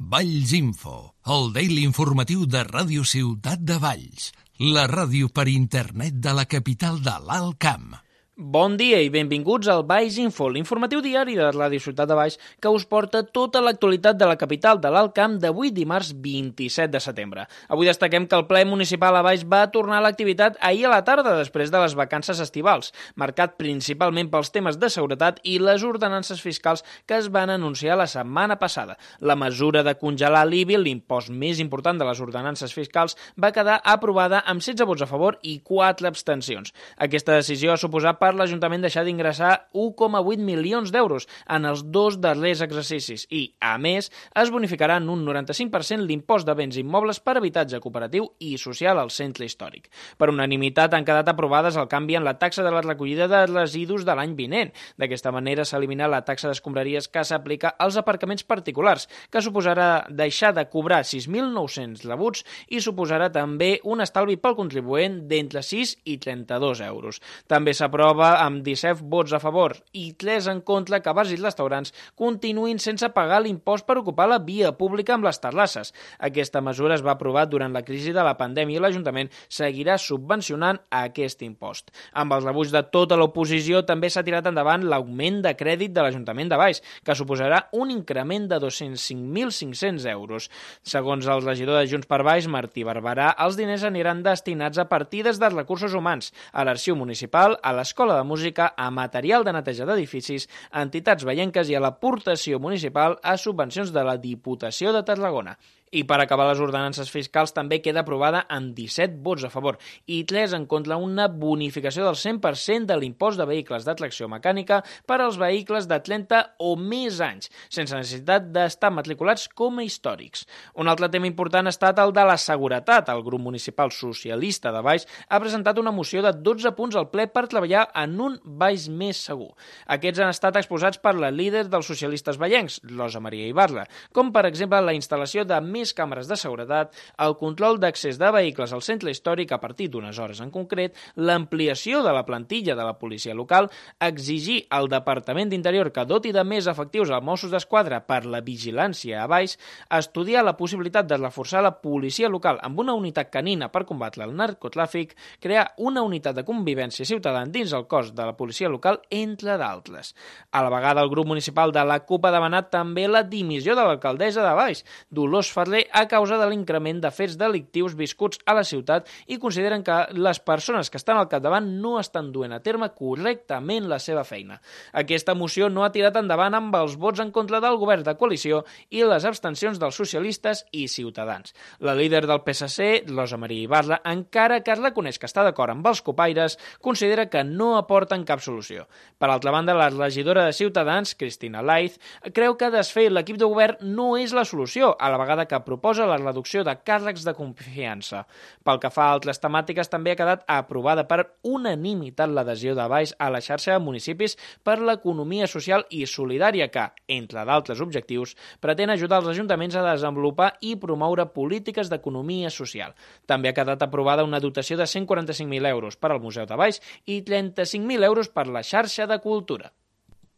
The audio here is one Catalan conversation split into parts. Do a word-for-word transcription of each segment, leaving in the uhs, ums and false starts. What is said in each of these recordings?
Valls Info, el daily informatiu de Ràdio Ciutat de Valls, la ràdio per internet de la capital de l'Alt Camp. Bon dia i benvinguts al Valls Info, l'informatiu diari de Ràdio Ciutat de Valls que us porta tota l'actualitat de la capital de l'Alt Camp d'avui dimarts vint-i-set de setembre. Avui destaquem que el ple municipal a Valls va tornar a l'activitat ahir a la tarda després de les vacances estivals, marcat principalment pels temes de seguretat i les ordenances fiscals que es van anunciar la setmana passada. La mesura de congelar l'I B I, l'impost més important de les ordenances fiscals, va quedar aprovada amb setze vots a favor i quatre abstencions. Aquesta decisió ha suposat per l'Ajuntament deixar d'ingressar u coma vuit milions d'euros en els dos darrers exercicis i, a més, es bonificarà en un noranta-cinc per cent l'impost de béns immobles per habitatge cooperatiu i social al centre històric. Per unanimitat han quedat aprovades el canvi en la taxa de la recollida de residus de l'any vinent. D'aquesta manera s'elimina la taxa d'escombraries que s'aplica als aparcaments particulars, que suposarà deixar de cobrar sis mil nou-cents rebuts i suposarà també un estalvi pel contribuent d'entre sis i trenta-dos euros. També s'aprova amb disset vots a favor i tres en contra que bars i restaurants continuïn sense pagar l'impost per ocupar la via pública amb les terrasses. Aquesta mesura es va aprovar durant la crisi de la pandèmia i l'Ajuntament seguirà subvencionant aquest impost. Amb els rebuig de tota l'oposició també s'ha tirat endavant l'augment de crèdit de l'Ajuntament de Valls, que suposarà un increment de dos-cents cinc mil cinc-cents euros. Segons el regidor de Junts per Valls, Martí Barberà, els diners aniran destinats a partides de recursos humans, a l'Arxiu Municipal, a l'Escola de Música, a material de neteja d'edificis, a entitats veienques i a l'aportació municipal a subvencions de la Diputació de Tarragona. I per acabar les ordenances fiscals també queda aprovada amb disset vots a favor i tres en contra una bonificació del cent per cent de l'impost de vehicles de tracció mecànica per als vehicles de trenta o més anys, sense necessitat d'estar matriculats com a històrics. Un altre tema important ha estat el de la seguretat. El grup municipal socialista de Valls ha presentat una moció de dotze punts al ple per treballar en un Valls més segur. Aquests han estat exposats per la líder dels socialistes vallencs, Rosa Maria Ibarra, com per exemple la instal·lació de més càmeres de seguretat, el control d'accés de vehicles al centre històric a partir d'unes hores en concret, l'ampliació de la plantilla de la policia local, exigir al Departament d'Interior que doti de més efectius als Mossos d'Esquadra per la vigilància a Valls, estudiar la possibilitat de reforçar la policia local amb una unitat canina per combatre el narcotràfic, crear una unitat de convivència ciutadana dins el cos de la policia local, entre d'altres. A la vegada, el grup municipal de la CUP ha demanat també la dimissió de l'alcaldessa de Valls, Dolors Ferrer, a causa de l'increment de fets delictius viscuts a la ciutat i consideren que les persones que estan al capdavant no estan duent a terme correctament la seva feina. Aquesta moció no ha tirat endavant amb els vots en contra del govern de coalició i les abstencions dels socialistes i Ciutadans. La líder del P S C, Rosa Maria Ibarra, encara que es reconeix que està d'acord amb els copaires, considera que no aporten cap solució. Per altra banda, la regidora de Ciutadans, Cristina Laiz, creu que desfer l'equip de govern no és la solució, a la vegada que proposa la reducció de càrrecs de confiança. Pel que fa a altres temàtiques, també ha quedat aprovada per unanimitat l'adhesió de Valls a la xarxa de municipis per l'economia social i solidària que, entre d'altres objectius, pretén ajudar els ajuntaments a desenvolupar i promoure polítiques d'economia social. També ha quedat aprovada una dotació de cent quaranta-cinc mil euros per al Museu de Valls i trenta-cinc mil euros per la xarxa de cultura.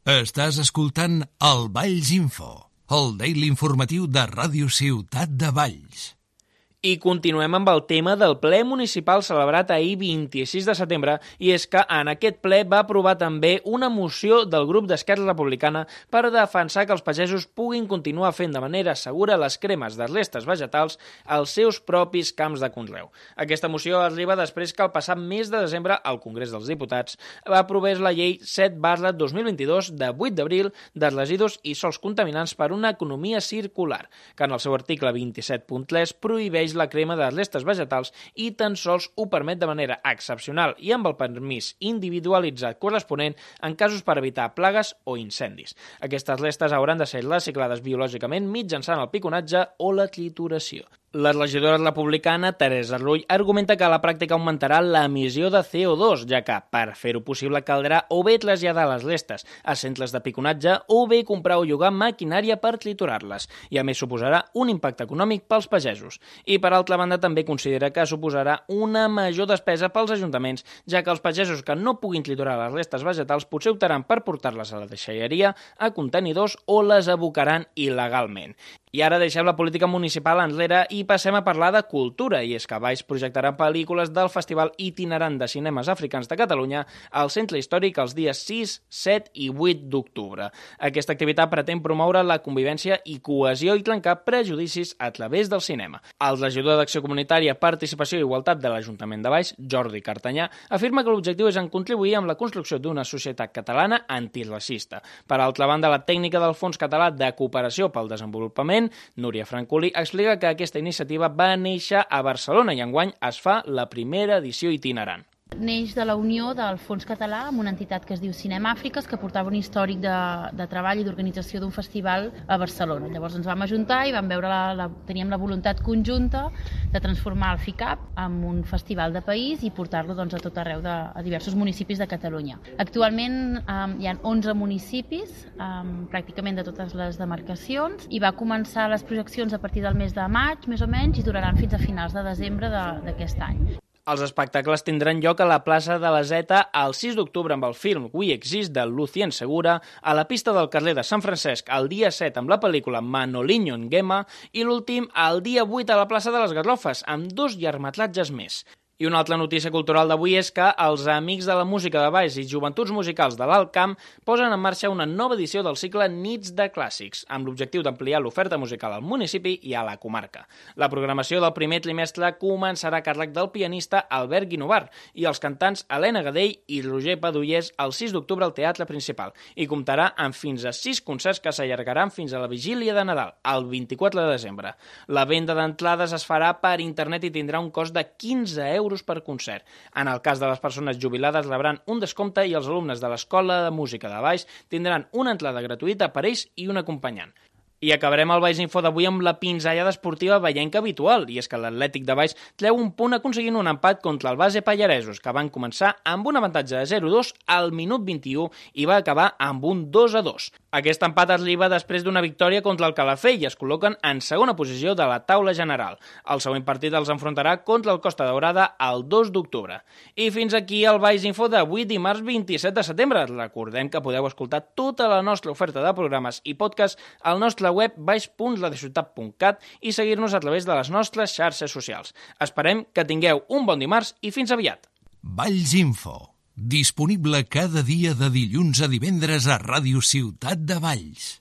Estàs escoltant el Valls Info, el daily informatiu de Ràdio Ciutat de Valls. I continuem amb el tema del ple municipal celebrat ahir vint-i-sis de setembre i és que en aquest ple va aprovar també una moció del grup d'Esquerra Republicana per defensar que els pagesos puguin continuar fent de manera segura les cremes de restes vegetals als seus propis camps de conreu. Aquesta moció arriba després que el passat mes de desembre el Congrés dels Diputats aprovés la llei set barra dos mil vint-i-dos de vuit d'abril de residus i sòls contaminants per una economia circular, que en el seu article vint-i-set punt tres prohibeix la crema de restes vegetals i tan sols ho permet de manera excepcional i amb el permís individualitzat corresponent en casos per evitar plagues o incendis. Aquestes restes hauran de ser reciclades biològicament mitjançant el piconatge o la trituració. La regidora republicana Teresa Rull argumenta que a la pràctica augmentarà l'emissió de C O dos, ja que, per fer-ho possible, caldrà o bé traslladar les restes a centres de piconatge o bé comprar o llogar maquinària per triturar-les, i a més suposarà un impacte econòmic pels pagesos. I per altra banda també considera que suposarà una major despesa pels ajuntaments, ja que els pagesos que no puguin triturar les restes vegetals potser optaran per portar-les a la deixalleria, a contenidors o les abocaran il·legalment. I ara deixem la política municipal enrere i passem a parlar de cultura, i és que Valls projectarà pel·lícules del Festival Itinerant de Cinemes Africans de Catalunya al Centre Històric els dies sis, set i vuit d'octubre. Aquesta activitat pretén promoure la convivència i cohesió i trencar prejudicis a través del cinema. El regidor d'Acció Comunitària, Participació i Igualtat de l'Ajuntament de Valls, Jordi Cartanyà, afirma que l'objectiu és en contribuir amb la construcció d'una societat catalana antiracista. Per altra banda, la tècnica del Fons Català de Cooperació pel Desenvolupament, Núria Francolí, explica que aquesta iniciativa va néixer a Barcelona i enguany es fa la primera edició itinerant. Neix de la unió del Fons Català amb una entitat que es diu Cinema Àfriques, que portava un històric de, de treball i d'organització d'un festival a Barcelona. Llavors ens vam ajuntar i vam veure la, la, teníem la voluntat conjunta de transformar el FICAP en un festival de país i portar-lo doncs, a tot arreu, de, a diversos municipis de Catalunya. Actualment um, hi ha onze municipis, um, pràcticament de totes les demarcacions, i va començar les projeccions a partir del mes de maig, més o menys, i duraran fins a finals de desembre d'aquest any. Els espectacles tindran lloc a la plaça de la Zeta el sis d'octubre amb el film We Exist de Lucien Segura, a la pista del carrer de Sant Francesc el dia set amb la pel·lícula Manoliño Nguema i l'últim el dia vuit a la plaça de les Garrofes amb dos llargmetratges més. I una altra notícia cultural d'avui és que els Amics de la Música de Valls i Joventuts Musicals de l'Alt Camp posen en marxa una nova edició del cicle Nits de Clàssics, amb l'objectiu d'ampliar l'oferta musical al municipi i a la comarca. La programació del primer trimestre començarà a càrrec del pianista Albert Guinovar i els cantants Helena Gadell i Roger Padullers el sis d'octubre al Teatre Principal i comptarà amb fins a sis concerts que s'allargaran fins a la vigília de Nadal, el vint-i-quatre de desembre. La venda d'entrades es farà per internet i tindrà un cost de quinze euros per concert. En el cas de les persones jubilades rebran un descompte i els alumnes de l'Escola de Música de Valls tindran una entrada gratuïta per ells i un acompanyant. I acabarem el Valls Info d'avui amb la pinzellada esportiva vallenca habitual, i és que l'Atlètic de Valls treu un punt aconseguint un empat contra el Base Pallaresos, que van començar amb un avantatge de zero a dos al minut vint-i-u i va acabar amb un dos a dos. Aquest empat arriba després d'una victòria contra el Calafell i es col·loquen en segona posició de la taula general. El següent partit els enfrontarà contra el Costa Daurada el dos d'octubre. I fins aquí el Valls Info d'avui, dimarts vint-i-set de setembre. Recordem que podeu escoltar tota la nostra oferta de programes i podcast al nostre web valls punt radiociutat punt cat i seguir-nos a través de les nostres xarxes socials. Esperem que tingueu un bon dimarts i fins aviat. Valls Info, disponible cada dia de dilluns a divendres a Ràdio Ciutat de Valls.